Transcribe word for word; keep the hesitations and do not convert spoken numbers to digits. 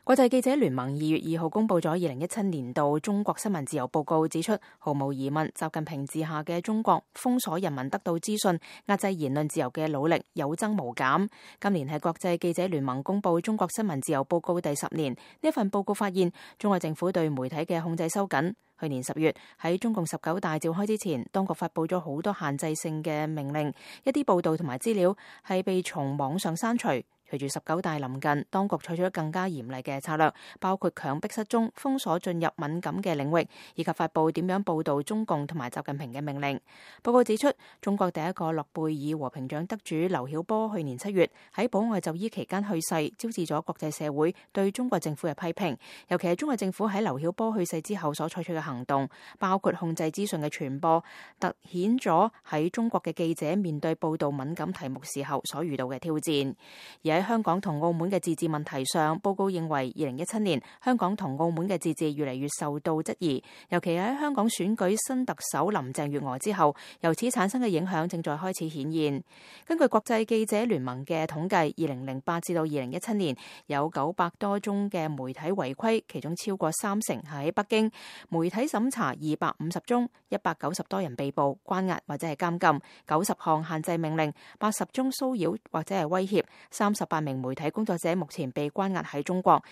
國際記者聯盟二月二號公布咗二零一七年度中國新聞自由報告，指出毫無疑問，習近平治下嘅中國封鎖人民得到資訊、壓制言論自由嘅努力有增無減。今年係國際記者聯盟公布中國新聞自由報告第十年，呢份報告發現中國政府對媒體嘅控制收緊。去年十月喺中共十九大召開之前，當局發布咗好多限制性嘅命令，一啲報道同埋資料係被從網上刪除。隨住十九大臨近，當局採取咗更加嚴厲嘅策略，包括強迫失蹤、封鎖進入敏感嘅領域，以及發布點樣報導中共同埋習近平嘅命令。報告指出，中國第一個諾貝爾和平獎得主劉曉波去年七月喺保外就醫期間去世，招致咗國際社會對中國政府嘅批評。尤其係中國政府喺劉曉波去世之後所採取嘅行動，包括控制資訊嘅傳播，凸顯咗喺中國嘅記者面對報導敏感題目時候所遇到嘅挑戰。而喺香港同澳門嘅自治問題上，報告認為二零一七年香港同澳門嘅自治越嚟越受到質疑，尤其喺香港選舉新特首林鄭月娥之後，由此產生嘅影響正在開始顯現。根據國際記者聯盟嘅統計，二零零八至到二零一七年有九百多宗嘅媒體違規，其中超過三成係喺北京。媒體審查二百五十宗，一百九十多人被捕、關押或者係監禁，九十項限制命令，八十宗騷擾或者係威脅，三十八名媒體工作者目前被關押喺中國。